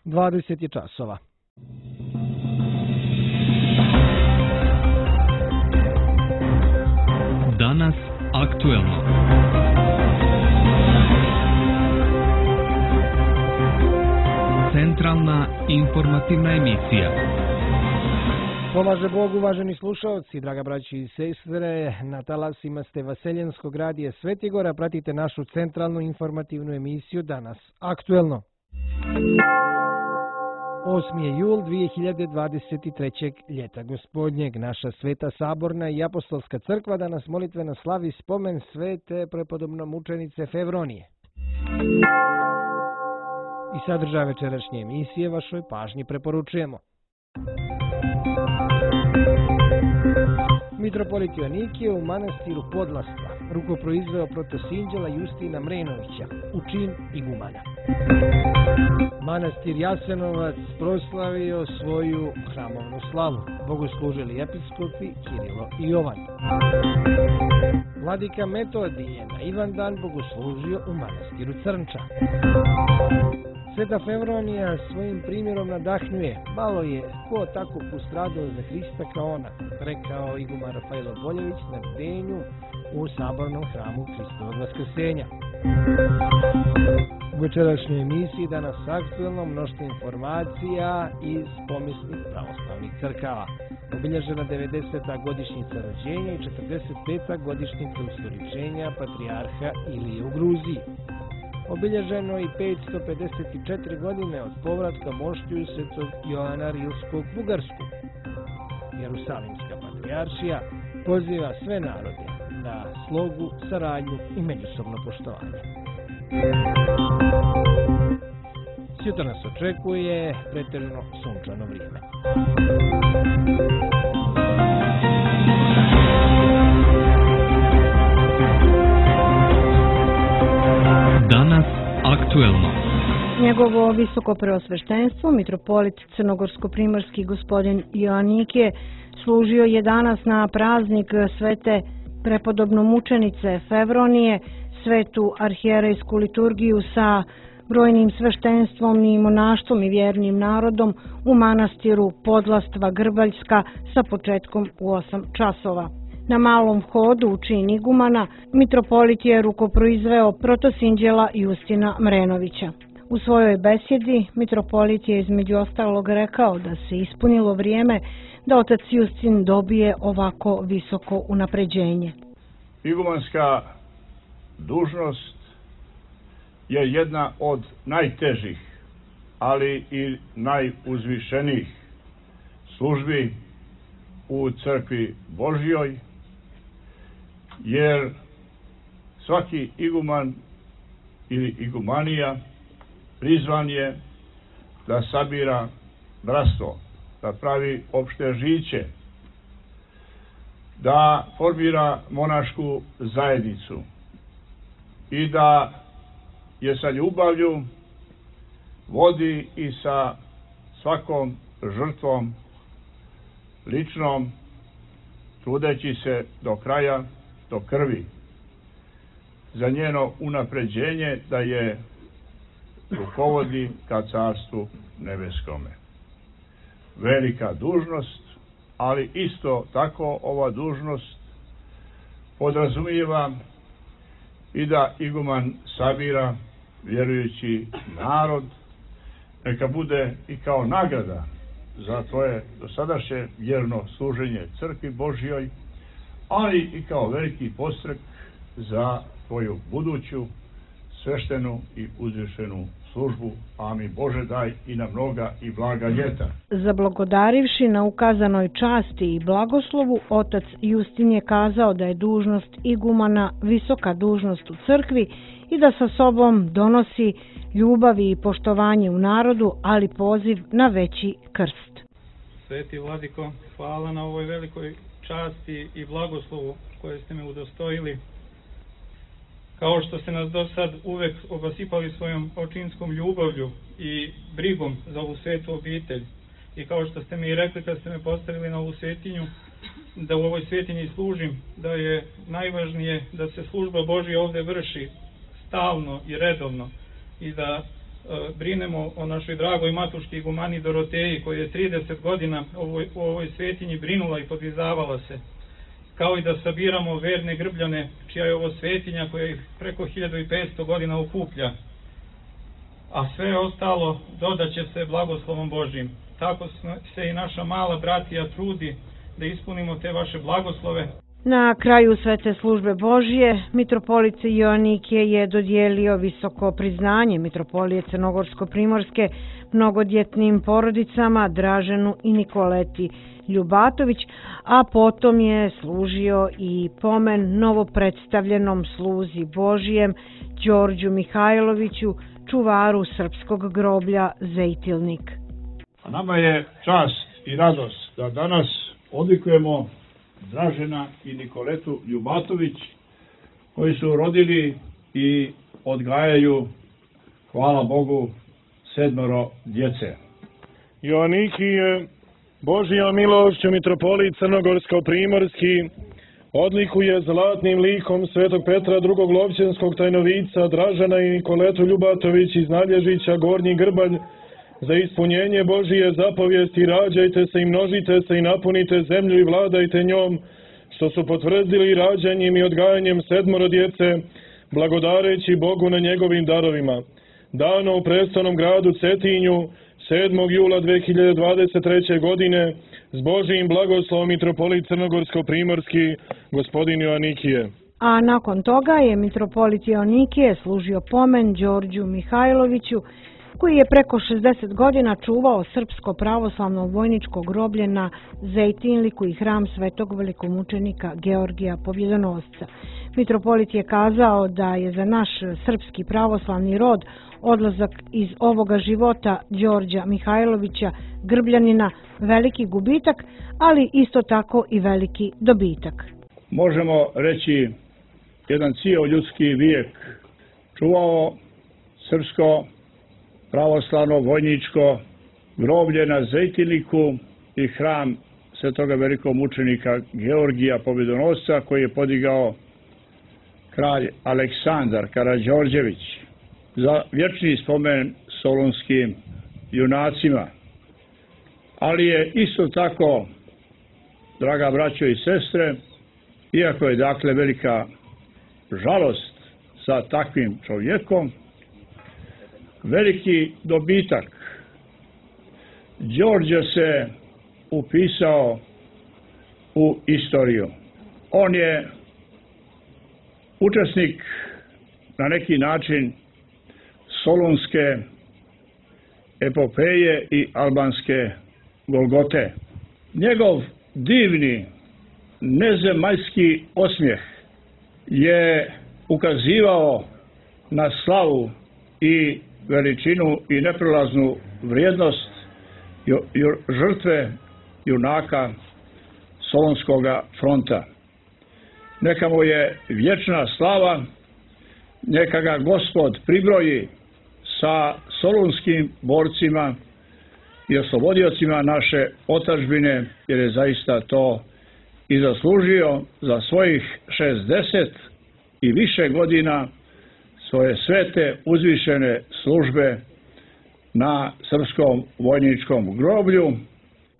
20 je časova. Danas aktuelno. Centralna informativna emisija. Pomaže Bog, uvaženi slušalci, draga braći i sestre, na talasima ste Vaseljenskog radija Svetigora, pratite našu centralnu informativnu emisiju Danas aktuelno. 8. je jul 2023. ljeta gospodnjeg. Naša Sveta Saborna i Apostolska crkva danas molitveno slavi spomen svete prepodobnomučenice Fevronije. I sadržaj večerašnje emisije vašoj pažnji preporučujemo. Mitropolit Joanikije u manastiru Podlastva rukoproizveo protosinđela Justina Mrenovića, učin igumana. Manastir Jasenovac proslavio svoju hramovnu slavu, bogoslužili episkopi Kirilo i Jovan. Vladika Metodije na Ivandan bogoslužio u manastiru Crnča. Sveta Fevronija svojim primjerom nadahnjuje, malo je ko tako postradao za Hrista kao ona, rekao iguman Rafailo Boljević na bdenju u Sabornom hramu Hristovog Vaskrsenja. U večerašnjoj emisiji danas aktuelno mnoštvo informacija iz pomisnih pravoslavnih crkava. Obilježena 90. godišnjica rođenja i 45. godišnjica ustoličenja patrijarha Ilije u Gruziji. Obilježeno i 554 godine od povratka moštiju svetog Joana Rilskog u Bugarsku. Jerusalimska patrijaršija poziva sve narode na slogu, saradnju i međusobno poštovanje. Sutra nas očekuje pretežno sunčano vrijeme. Danas aktuelno. Njegovo visoko preosveštenstvo, mitropolit crnogorsko-primorski gospodin Joanikije, služio je danas na praznik svete prepodobnomučenice Fevronije, svetu arhijerejsku liturgiju sa brojnim sveštenstvom i monaštvom i vjernim narodom u manastiru Podlastva Grbaljska sa početkom u 8 časova. Na malom hodu u čin igumana mitropolit je rukoproizveo protosinđela Justina Mrenovića. U svojoj besjedi mitropolit je između ostalog rekao da se ispunilo vrijeme da otac Justin dobije ovako visoko unapređenje. Igumanska dužnost je jedna od najtežih, ali i najuzvišenijih službi u crkvi Božjoj, jer svaki iguman ili igumanija prizvan je da sabira bratstvo, da pravi opšte žiće, da formira monašku zajednicu i da je sa ljubavlju vodi i sa svakom žrtvom ličnom, trudeći se do kraja, do krvi, za njeno unapređenje da je rukovodi ka carstvu nebeskome. Velika dužnost, ali isto tako ova dužnost podrazumijeva i da iguman sabira vjerujući narod, neka bude i kao nagrada za tvoje dosadašnje vjerno služenje crkvi Božjoj, ali i kao veliki podstrek za tvoju buduću sveštenu i uzvišenu službu. Amin. Bože, daj i na mnoga i blaga ljeta. Zablagodarivši na ukazanoj časti i blagoslovu, otac Justin je kazao da je dužnost igumana visoka dužnost u crkvi i da sa sobom donosi ljubavi i poštovanje u narodu, ali poziv na veći krst. Sveti Vladiko, hvala na ovoj velikoj časti i blagoslovu koje ste me udostojili. Kao što ste nas do sad uvek obasipali svojom očinskom ljubavlju i brigom za ovu svetu obitelj. I kao što ste mi i rekli kad ste me postavili na ovu svetinju, da u ovoj svetinji služim, da je najvažnije da se služba Božja ovdje vrši stalno i redovno i da brinemo o našoj dragoj matuški igumani Doroteji, koja je 30 godina u ovoj svetinji brinula i podvizavala se, kao i da sabiramo verne grbljane, čija je ovo svetinja koja ih preko 1500 godina okuplja, a sve ostalo dodaće se blagoslovom Božjim. Tako se i naša mala bratija trudi da ispunimo te vaše blagoslove. Na kraju svete službe Božje, mitropolit Joanikije je dodijelio visoko priznanje mitropolije Crnogorsko-primorske mnogodjetnim porodicama Draženu i Nikoleti Ljubatović, a potom je služio i pomen novopredstavljenom sluzi Božijem Đorđu Mihajloviću, čuvaru srpskog groblja Zejtilnik. A nama je čast i radost da danas odlikujemo Dražena i Nikoletu Ljubatović, koji su rodili i odgajaju, hvala Bogu, 7 djece. Joanikije, Božja milošću mitropolit Crnogorsko-primorski odlikuje zlatnim likom svetog Petra drugog Lovćenskog tajnovica Dražena i Nikoletu Ljubatović iz Nalježića Gornji Grbalj za ispunjenje Božije zapovijesti: rađajte se i množite se i napunite zemlju i vladajte njom, što su potvrdili rađanjem i odgajanjem 7 djece, blagodareći Bogu na njegovim darovima. Dano u prestolnom gradu Cetinju 7. jula 2023. godine s Božijim blagoslovom mitropolit Crnogorsko-primorski gospodin Joanikije. A nakon toga je mitropolit Joanikije služio pomen Đorđu Mihajloviću, koji je preko 60 godina čuvao srpsko pravoslavno vojničko groblje na Zejtinliku i hram svetog velikomučenika Georgija Pobjedonosca. Mitropolit je kazao da je za naš srpski pravoslavni rod odlazak iz ovoga života Đorđa Mihajlovića Grbljanina veliki gubitak, ali isto tako i veliki dobitak. Možemo reći, jedan cijel ljudski vijek čuvao srpsko pravoslavno vojničko groblje na Zejtilniku i hram svetoga velikog mučenika Georgija Pobjedonosca, koji je podigao kralj Aleksandar Karađorđević za vječni spomen solunskim junacima. Ali je isto tako, draga braćo i sestre, iako je dakle velika žalost sa takvim čovjekom, veliki dobitak. Đorđe se upisao u istoriju. On je učesnik na neki način solunske epopeje i albanske Golgote. Njegov divni nezemaljski osmijeh je ukazivao na slavu i veličinu i neprelaznu vrijednost žrtve junaka Solunskoga fronta. Neka mu je vječna slava, neka ga Gospod pribroji sa solunskim borcima i oslobodiocima naše otadžbine, jer je zaista to i zaslužio za svojih 60 i više godina svoje svete uzvišene službe na srpskom vojničkom groblju.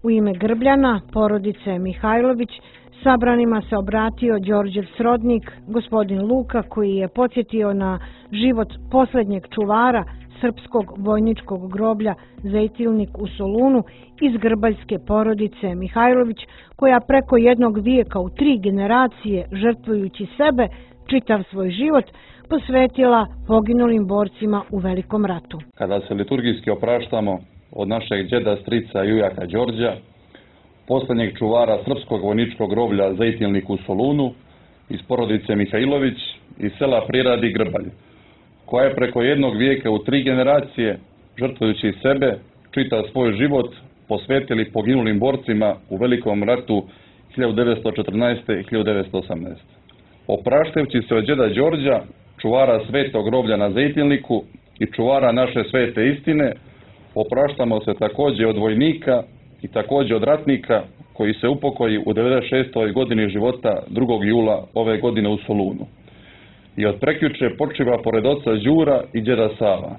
U ime Grbljana, porodice Mihajlović, sabranima se obratio Đorđev srodnik, gospodin Luka, koji je podsjetio na život posljednjeg čuvara srpskog vojničkog groblja Zejtilnik u Solunu iz grbaljske porodice Mihajlović, koja preko jednog vijeka u 3 generacije, žrtvujući sebe, čitav svoj život, posvetila poginulim borcima u Velikom ratu. Kada se liturgijski opraštamo od našeg djeda, strica i ujaka Đorđa, posljednjeg čuvara srpskog vojničkog groblja Zejtilnik u Solunu, iz porodice Mihajlović, iz sela Priradi Grbalj, koja je preko jednog vijeka u 3 generacije, žrtvujući sebe, čitav svoj život, posvetili poginulim borcima u Velikom ratu 1914. i 1918. Opraštajući se od djeda Đorđa, čuvara svetog groblja na Zejtilniku i čuvara naše svete istine, opraštamo se također od vojnika i također od ratnika koji se upokoji u 96. godini života 2. jula ove godine u Solunu. I od prekjuče počiva pored oca Đura i djeda Sava.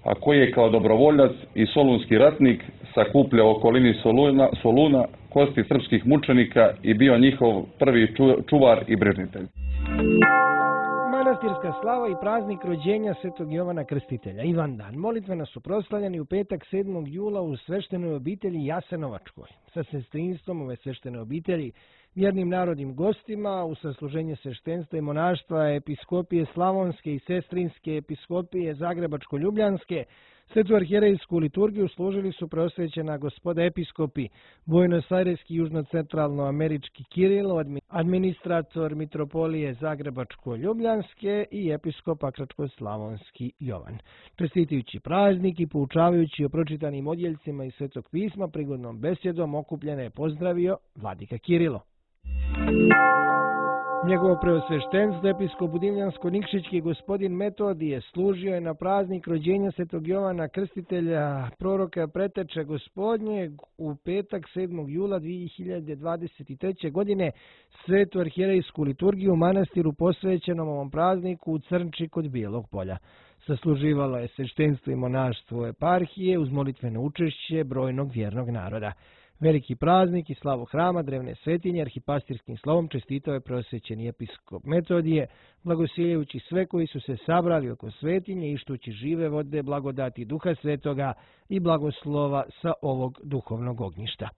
a koji je kao dobrovoljac i solunski ratnik sakupljao u okolini Soluna kosti srpskih mučenika i bio njihov prvi čuvar i brižnitelj. Manastirska slava i praznik rođenja Svetog Jovana Krstitelja, Ivandan, molitveno su proslavljeni u petak 7. jula u sveštenoj obitelji Jasenovačkoj. Sa sestrinstvom ove sveštene obitelji, vjernim narodnim gostima, u sasluženje sveštenstva i monaštva episkopije Slavonske i sestrinske episkopije Zagrebačko-Ljubljanske, svetu arhijerejsku liturgiju služili su preosvećena gospoda episkopi, Buenos-Aireski južno-centralno-američki Kirilo, administrator mitropolije Zagrebačko-Ljubljanske i episkop Pakračko-slavonski Jovan. Čestitujući praznik i poučavajući o pročitanim odjeljcima iz Svetog pisma, prigodnom besjedom okupljene je pozdravio vladika Kirilo. Njegovo preosveštenstvo, episkop Budimljansko-Nikšićki gospodin Metodije, služio je na praznik rođenja Svetog Jovana Krstitelja, proroka preteče gospodnjeg, u petak 7. jula 2023. godine svetu arhijerejsku liturgiju u manastiru posvećenom ovom prazniku u Crnči kod Bijelog polja. Sasluživalo je sveštenstvo i monaštvo eparhije uz molitveno učešće brojnog vjernog naroda. Veliki praznik i slavu hrama drevne svetinje arhipastirskim slovom čestitao je preosvećeni episkop Metodije, blagosiljajući sve koji su se sabrali oko svetinje i štući žive vode, blagodati Duha Svetoga i blagoslova sa ovog duhovnog ognjišta.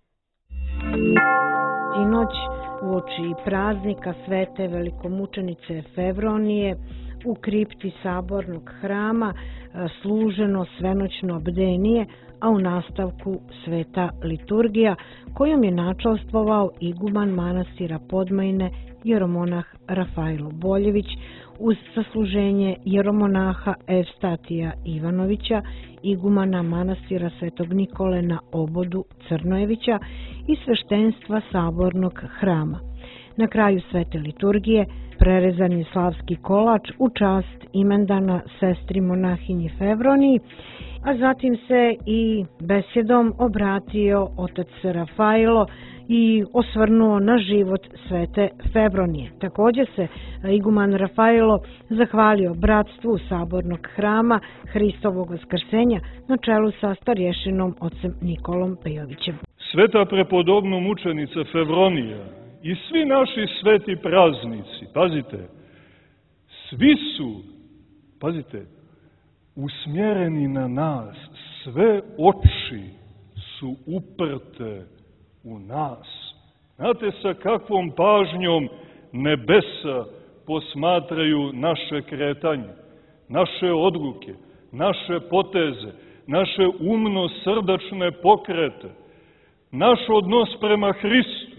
Sinoć, uoči praznika svete velikomučenice Fevronije, u kripti sabornog hrama služeno svenoćno bdenije, a u nastavku sveta liturgija kojom je načalstvovao iguman manastira Podmajne jeromonah Rafailo Boljević uz sasluženje jeromonaha Evstatija Ivanovića, igumana manastira Svetog Nikole na Obodu Crnojevića i sveštenstva sabornog hrama. Na kraju svete liturgije prerezan je slavski kolač u čast imendana sestri monahinji Fevroniji, a zatim se i besjedom obratio otac Rafailo i osvrnuo na život svete Fevronije. Također se iguman Rafailo zahvalio bratstvu sabornog hrama Hristovog vaskrsenja na čelu sa starješinom ocem Nikolom Pejovićem. Sveta prepodobno mučenica Fevronija i svi naši sveti praznici, pazite, svi su, pazite, usmjereni na nas, sve oči su uprte u nas. Znate sa kakvom pažnjom nebesa posmatraju naše kretanje, naše odluke, naše poteze, naše umno-srdačne pokrete, naš odnos prema Hristu.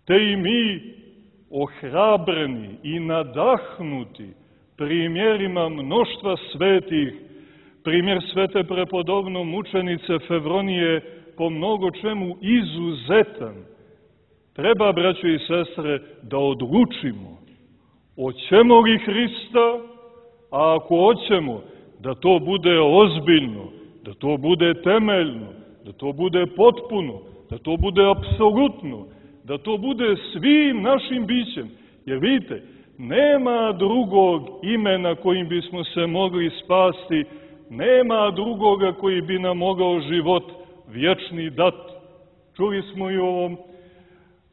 Te i mi, ohrabreni i nadahnuti primjerima mnoštva svetih, primjer svete prepodobno mučenice Fevronije po mnogo čemu izuzetan, treba, braćo i sestre, da odlučimo hoćemo li Hrista, a ako hoćemo, da to bude ozbiljno, da to bude temeljno, da to bude potpuno, da to bude apsolutno, da to bude svim našim bićem. Jer vidite, nema drugog imena kojim bismo se mogli spasti, nema drugoga koji bi nam mogao život vječni dati. Čuli smo i o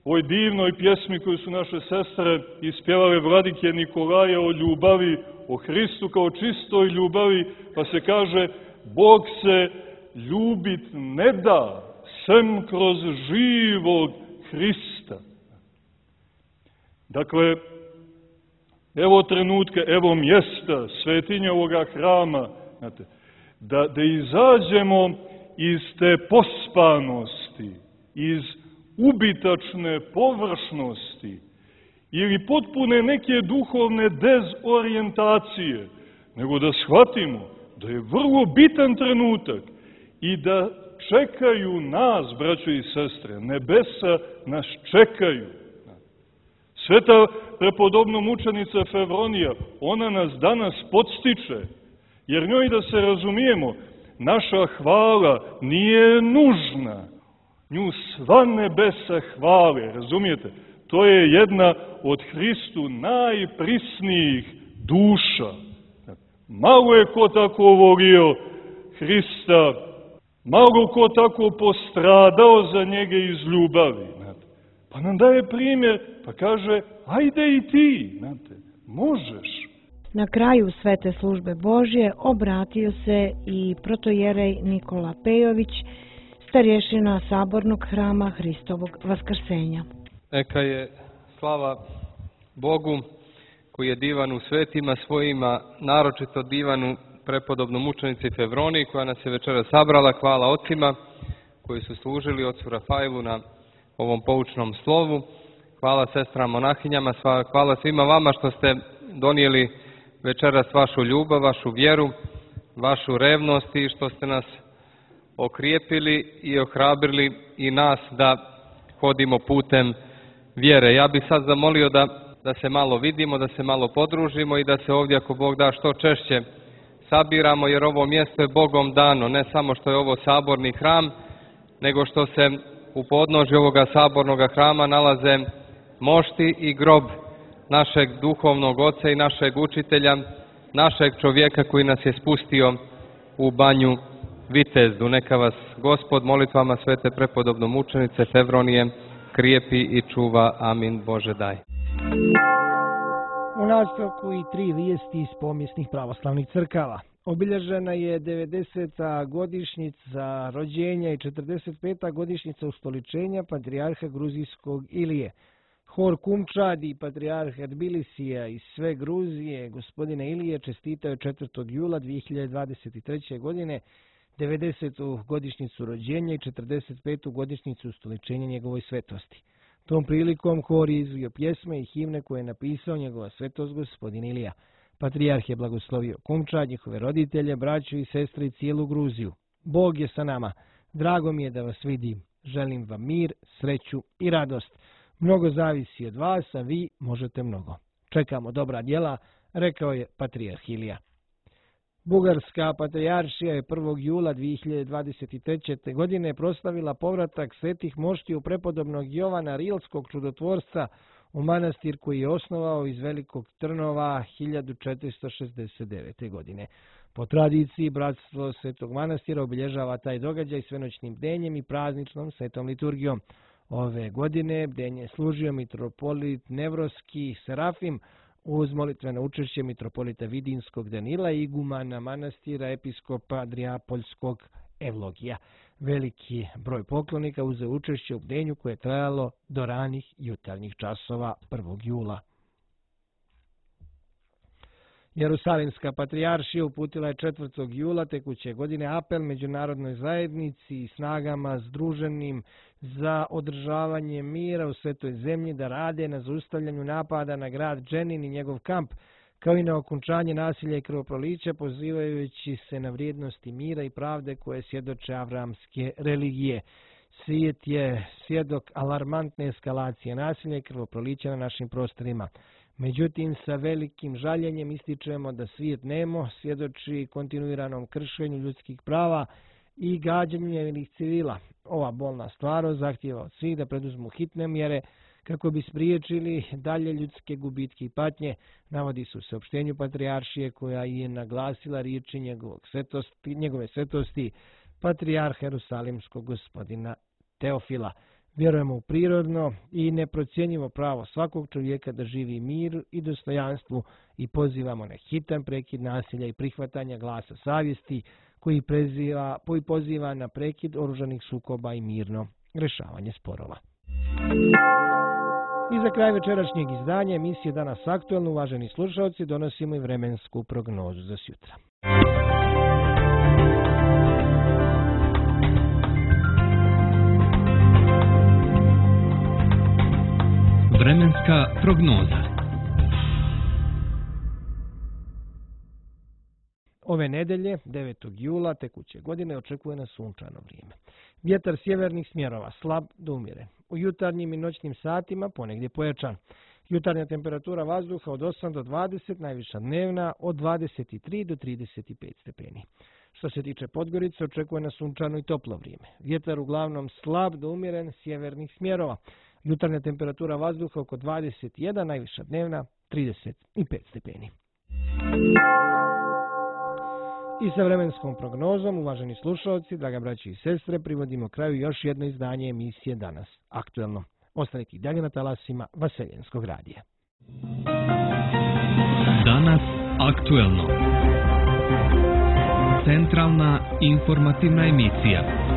ovoj divnoj pjesmi koju su naše sestre ispjevale vladike Nikolaja o ljubavi, o Hristu kao čistoj ljubavi, pa se kaže Bog se ljubit ne da, sem kroz živog Hrista. Dakle, evo trenutka, evo mjesta, svetinja ovoga hrama, znate, da izađemo iz te pospanosti, iz ubitačne površnosti ili potpune neke duhovne dezorijentacije, nego da shvatimo da je vrlo bitan trenutak i da čekaju nas, braćo i sestre, nebesa nas čekaju. Sveta prepodobno mučenica Fevronija, ona nas danas podstiče, jer njoj, da se razumijemo, naša hvala nije nužna. Nju sva nebesa hvale, razumijete? To je jedna od Hristu najprisnijih duša. Malo je ko tako volio Hrista, malo ko tako postradao za njega iz ljubavi. Znate. Pa nam daje primjer, pa kaže, ajde i ti, znate, možeš. Na kraju svete službe Božje obratio se i protojerej Nikola Pejović, starješina sabornog hrama Hristovog vaskrsenja. Neka je slava Bogu koji je divan u svetima svojima, naročito divan u prepodobnom mučenici Fevroniji koja nas je večera sabrala. Hvala ocima koji su služili ocu Rafailu na ovom poučnom slovu. Hvala sestrama monahinjama, hvala svima vama što ste donijeli večeras vašu ljubav, vašu vjeru, vašu revnost i što ste nas okrijepili i ohrabrili i nas da hodimo putem vjere. Ja bih sad zamolio da se malo vidimo, da se malo podružimo i da se ovdje, ako Bog da, što češće sabiramo, jer ovo mjesto je Bogom dano, ne samo što je ovo saborni hram, nego što se u podnožju ovoga sabornog hrama nalaze mošti i grob našeg duhovnog oca i našeg učitelja, našeg čovjeka koji nas je spustio u banju Vitezdu. Neka vas Gospod molitvama svete prepodobno mučenice Fevronije krijepi i čuva. Amin. Bože daj. U nastavku i 3 vijesti iz pomijesnih pravoslavnih crkava. Obilježena je 90. godišnjica rođenja i 45. godišnjica ustoličenja patrijarha gruzijskog Ilije. Hor Kumčad i patrijarh Tbilisija iz sve Gruzije, gospodine Ilije, čestitao je 4. jula 2023. godine 90. godišnjicu rođenja i 45. godišnjicu ustoličenja njegove svetosti. Tom prilikom hor je izvio pjesme i himne koje je napisao njegova svetost gospodin Ilija. Patrijarh je blagoslovio Kumčad, njihove roditelje, braću i sestre i cijelu Gruziju. Bog je sa nama. Drago mi je da vas vidim. Želim vam mir, sreću i radost. Mnogo zavisi od vas, a vi možete mnogo. Čekamo dobra djela, rekao je patrijarh Ilija. Bugarska patrijaršija je 1. jula 2023. godine proslavila povratak svetih moštiju prepodobnog Jovana Rilskog čudotvorca u manastir koji je osnovao iz Velikog Trnova 1469. godine. Po tradiciji, bratstvo Svetog manastira obilježava taj događaj svenoćnim bdenjem i prazničnom svetom liturgijom. Ove godine bdenje služio mitropolit Nevroski Serafim uz molitveno učešće mitropolita Vidinskog Danila i igumana manastira episkopa Adriapoljskog Evlogija. Veliki broj poklonika uzeo učešće u bdenju koje je trajalo do ranih jutarnjih časova 1. jula. Jerusalimska patrijaršija uputila je 4. jula tekuće godine apel međunarodnoj zajednici i snagama združenim za održavanje mira u svetoj zemlji da rade na zaustavljanju napada na grad Dženin i njegov kamp, kao i na okončanje nasilja i krvoprolića, pozivajući se na vrijednosti mira i pravde koje svjedoče avramske religije. Svijet je svjedok alarmantne eskalacije nasilja i krvoprolića na našim prostorima. Međutim, sa velikim žaljenjem ističemo da svijet nemo svjedoči kontinuiranom kršenju ljudskih prava i gađanju nevinih civila. Ova bolna stvarnost zahtijeva od svih da preduzmu hitne mjere kako bi spriječili dalje ljudske gubitke i patnje, navodi se u saopštenju patrijaršije koja je naglasila riječi njegove svetosti patrijarha Jerusalimskog gospodina Teofila. Vjerujemo u prirodno i neprocjenjivo pravo svakog čovjeka da živi mir i dostojanstvu i pozivamo na hitan prekid nasilja i prihvatanja glasa savjesti koji poziva na prekid oružanih sukoba i mirno rješavanje sporova. I za kraj večerašnjeg izdanja emisije Danas aktuelno, uvaženi slušalci, donosimo i vremensku prognozu za sutra. Vremenska prognoza. Ove nedelje, 9. jula tekuće godine, očekuje nas sunčano vrijeme. Vjetar sjevernih smjerova slab do umjeren. U jutarnjim i noćnim satima ponegdje pojačan. Jutarnja temperatura vazduha od 8 do 20, najviša dnevna od 23 do 35 stepeni. Što se tiče Podgorice, očekuje nas sunčano i toplo vrijeme. Vjetar uglavnom slab do umjeren sjevernih smjerova. Jutarnja temperatura vazduha oko 21, najviša dnevna 35 stepeni. I sa vremenskom prognozom, uvaženi slušalci, draga braći i sestre, privodimo kraju još jedno izdanje emisije Danas aktuelno. Ostanite i dalje na talasima Vaseljenskog radija. Danas aktuelno. Centralna informativna emisija.